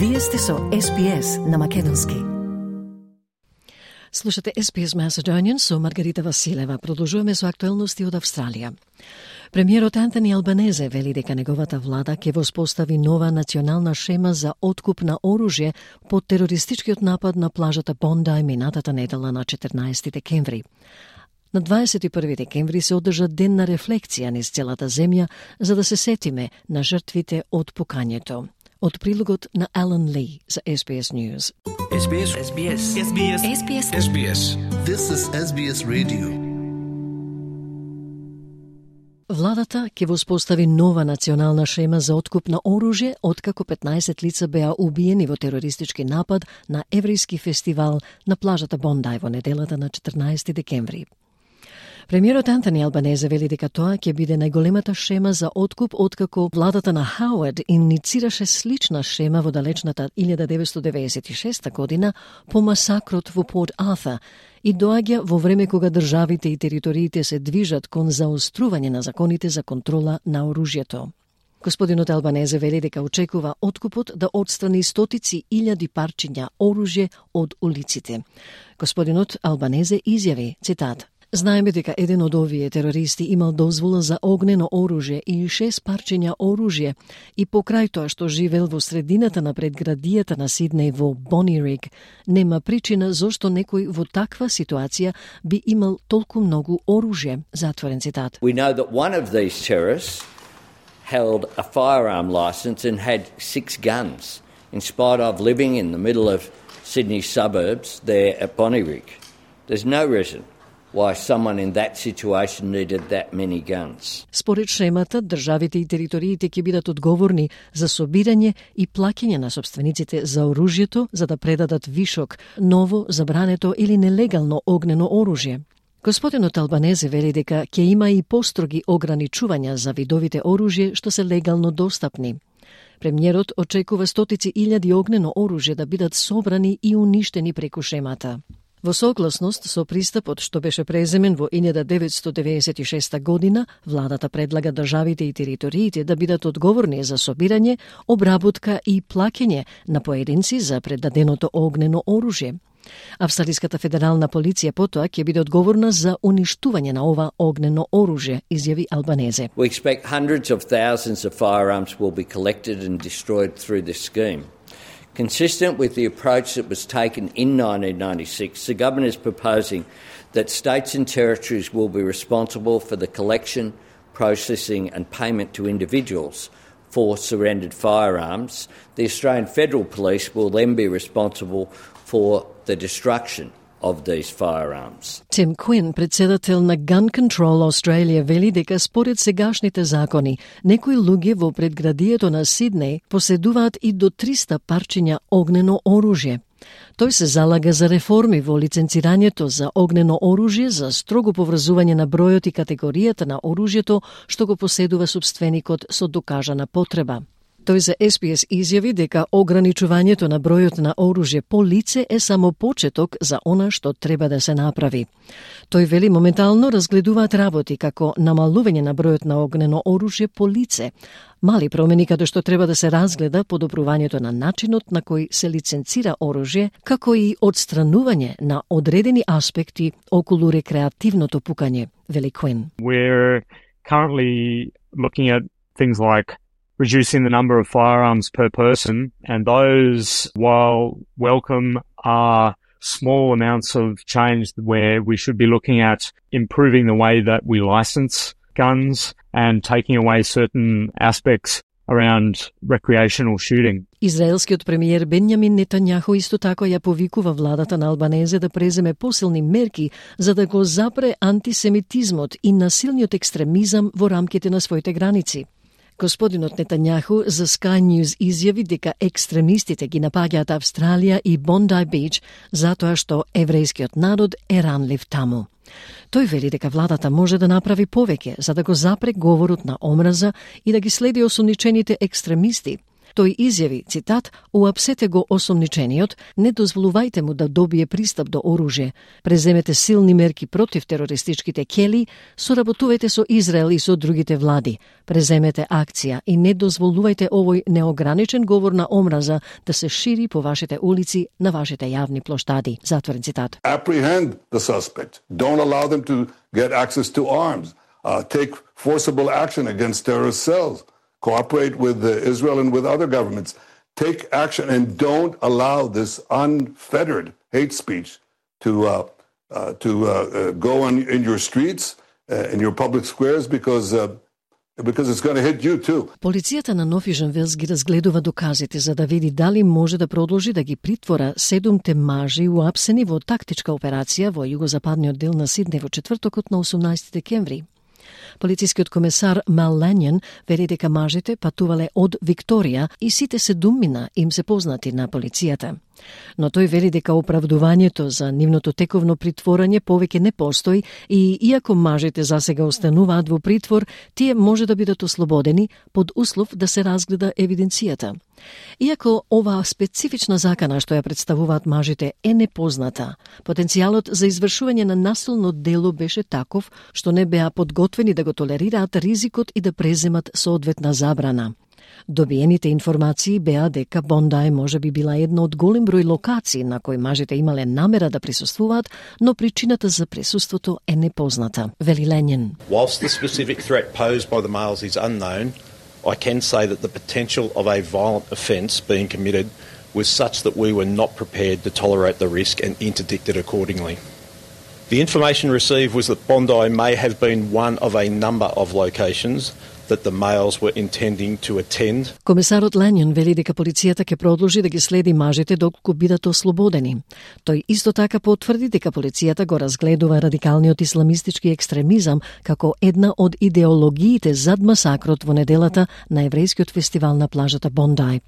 Вие сте со SPS на македонски. Слушате SPS Macedonian со Маргарита Василева. Продолжуваме со актуелности од Австралија. Премиерот Антони Албанезе вели дека неговата влада ќе воспостави нова национална шема за откуп на оружје по терористичкиот напад на плажата Бондај минатата недела на 14 декември. На 21 декември се одржа ден на рефлексија низ целата земја за да се сетиме на жртвите од пукањето. Од прилогот на Алан Ли за SBS News. SBS. SBS. SBS. SPS. SBS. This is SBS Radio. Владата ќе воспостави нова национална шема за откуп на оружје откако 15 лица беа убиени во терористички напад на еврејски фестивал на плажата Бондај во неделата на 14 декември. Премиерот Антони Албанезе вели дека тоа ќе биде најголемата шема за откуп откако владата на Хауард иницираше слична шема во далечната 1996 година по масакрот во Порт Артур и доаѓа во време кога државите и териториите се движат кон заострување на законите за контрола на оружјето. Господинот Албанезе вели дека очекува откупот да отстрани стотици илјади парчиња оружје од улиците. Господинот Албанезе изјави, цитат: "Знаеме дека еден од овие терористи имал дозвола за огнено оружје и 6 парчиња оружје и покрај тоа што живел во средината на предградијата на Сиднеј во Бонириг, нема причина зошто некој во таква ситуација би имал толку многу оружје." Затворен цитат. We know that one of these terrorists held a firearm license and had 6 guns, in spite of living in the middle of Sydney suburbs there at Bonnyrigg. There's no reason why someone in that situation needed that many guns. Според шемата, државите и териториите ќе бидат одговорни за собирање и плаќање на собствениците за оружјето за да предадат вишок, ново, забрането или нелегално огнено оружје. Господинот Албанезе вели дека ќе има и построги ограничувања за видовите оружје што се легално достапни. Премиерот очекува стотици илјади огнено оружје да бидат собрани и уништени преку шемата. Во согласност со пристапот што беше преземен во 1996 година, владата предлага државите и териториите да бидат одговорни за собирање, обработка и плаќање на поединци за предаденото огнено оружје. Австралиската федерална полиција потоа ќе биде одговорна за уништување на ова огнено оружје, изјави Албанезе. We expect hundreds of thousands of firearms will be collected and destroyed through this scheme. Consistent with the approach that was taken in 1996, the government is proposing that states and territories will be responsible for the collection, processing and payment to individuals for surrendered firearms. The Australian Federal Police will then be responsible for the destruction of these firearms. Tim Quinn, председател на Gun Control Australia, вели дека според сегашните закони, некои луѓе во предградието на Сиднеј поседуваат и до 300 парчиња огнено оружје. Тој се залага за реформи во лиценцирањето за огнено оружје, за строго поврзување на бројот и категоријата на оружјето што го поседува собственикот со докажана потреба. Тој за SPS изјави дека ограничувањето на бројот на оружје по лице е само почеток за она што треба да се направи. Тој вели моментално разгледуваат работи како намалување на бројот на огнено оружје по лице, мали промени каде што треба да се разгледа подобрувањето на начинот на кој се лиценцира оружје, како и одстранување на одредени аспекти околу рекреативното пукање, вели Quinn. We're currently looking at things like reducing the number of firearms per person, and those, while welcome, are small amounts of change where we should be looking at improving the way that we license guns and taking away certain aspects around recreational shooting. Израелскиот премиер Бенјамин Нетањаху исто така ја повикува владата на Албанезе да преземе посилни мерки за да го запре антисемитизмот и насилниот екстремизам во рамките на своите граници. Господинот Нетањаху за Sky News изјави дека екстремистите ги напаѓаат Австралија и Бондај Бич затоа што еврејскиот народ е ранлив таму. Тој вели дека владата може да направи повеќе за да го запре говорот на омраза и да ги следи осомничените екстремисти. Тој изјави, цитат, уапсете го осомничениот, не дозволувајте му да добие пристап до оружје, преземете силни мерки против терористичките кели, соработувајте со Израел и со другите влади, преземете акција и не дозволувајте овој неограничен говор на омраза да се шири по вашите улици, на вашите јавни плоштади. Затворен цитат. Apprehend the suspect. Don't allow them to get access to arms. Take forcible action against terrorist cells. Cooperate with Israel and with other governments. Take action and don't allow this unfettered hate speech to go in your streets, in your public squares, because it's going to hit you too. Полицијата на Нов Јужен Велс ги разгледува доказите за да види дали може да продолжи да ги притвора 7 мажи уапсени во тактичка операција во југозападниот дел на Сиднеј во четвртокот на 18 декември. Полицискиот комесар Мел Лањен вели дека мажите патувале од Викторија и сите 7 им се познати на полицијата. Но тој вели дека оправдувањето за нивното тековно притворање повеќе не постои и иако мажите засега остануваат во притвор, тие може да бидат ослободени под услов да се разгледа евиденцијата. Иако оваа специфична закана што ја представуваат мажите е непозната, потенцијалот за извршување на насилно дело беше таков што не беа подготвени да го толерираат ризикот и да преземат соодветна забрана. Добиените информации беа дека Бондај може би била една од голем број локации на кои мажите имале намера да присуствуваат, но причината за присуството е непозната. Вели Лањен. Whilst the specific threat posed by the males is unknown, I can say that the potential of a violent offence being committed was such that we were not prepared to tolerate the risk and interdicted accordingly. The information received was that Bondi may have been one of a number of locations that the males were intending to attend. Комесарот Лањен вели дека полицијата ќе продолжи да ги следи мажите доколку бидат ослободени. Тој исто така потврди дека полицијата го разгледува радикалниот исламистички екстремизам како една од идеологиите зад масакрот во неделата на еврејскиот фестивал на плажата Бондај.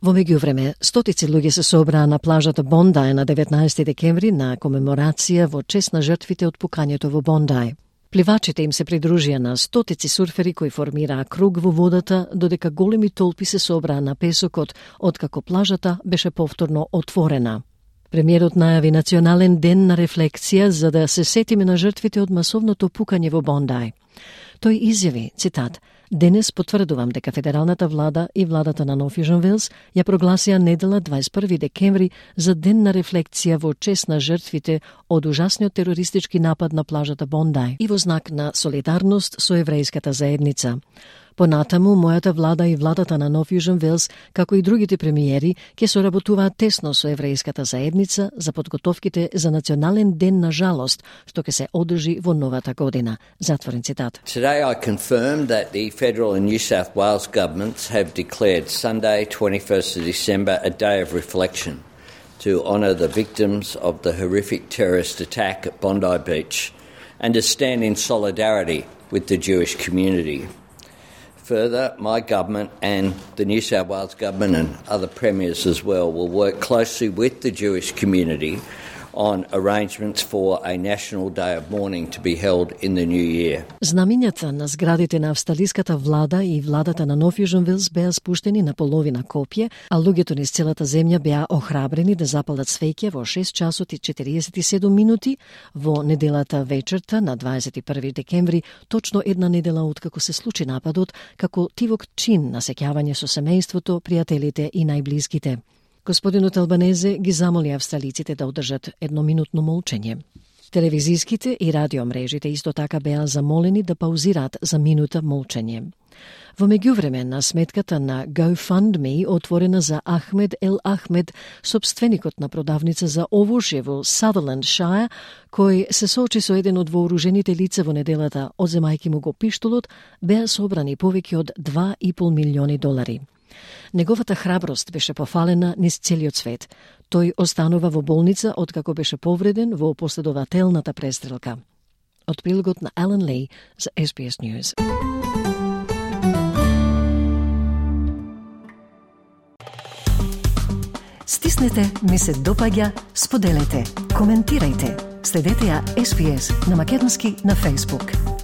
Во меѓувреме, стотици луѓе се собраа на плажата Бондај на 19 декември на комеморација во чест на жртвите од пукањето во Бондај. Пливачите им се придружија на стотици сурфери кои формираа круг во водата, додека големи толпи се собраа на песокот, откако плажата беше повторно отворена. Премиерот најави национален ден на рефлексија за да се сетиме на жртвите од масовното пукање во Бондај. Тој изјави, цитат, денес потврдувам дека федералната влада и владата на Нов Јужен Велс ја прогласија недела 21 декември за ден на рефлексија во чест на жртвите од ужасниот терористички напад на плажата Бондај и во знак на солидарност со еврејската заедница. Понатаму, мојата влада и владата на Нов Јужен Велс, како и другите премиери, ќе соработуваат тесно со еврејската заедница за подготовките за национален ден на жалост, што ќе се одржи во новата година. Затворен цитат. Today I confirm that the federal and New South Wales governments have declared Sunday, 21st of December, a day of reflection to honour the victims of the horrific terrorist attack at Bondi Beach and to stand in solidarity with the Jewish community. Further, my government and the New South Wales government and other premiers as well will work closely with the Jewish community on arrangements for a national day of mourning to be held in the new year. Знамињата на зградите на австралиската влада и владата на Нов Јужен Велс беа спуштени на половина копје, а луѓето низ целата земја беа охрабрени да запалат свеќе во 6 часот и 47 минути во неделата вечерта на 21 декември, точно една недела откако се случи нападот, како тивок чин на сеќавање со семејството, пријателите и најблиските. Господинот Албанезе ги замоли австралиците да одржат едноминутно молчење. Телевизиските и радиомрежите исто така беа замолени да паузираат за минута молчење. Во меѓувреме, на сметката на GoFundMe, отворена за Ахмед Ел Ахмед, собственикот на продавница за овошје во Сатерленд Шајр, кој се соочи со еден од вооружените лица во неделата, одземајќи му го пиштолот, беа собрани повеќе од $2,5 милиони. Неговата храброст беше пофалена низ целиот свет. Тој останува во болница откако беше повреден во последователната престрелка. Од прилогот на Алан Ли за SBS News. Стиснете, ми се допаѓа, споделете, коментирајте. Следете ја SBS на македонски на Facebook.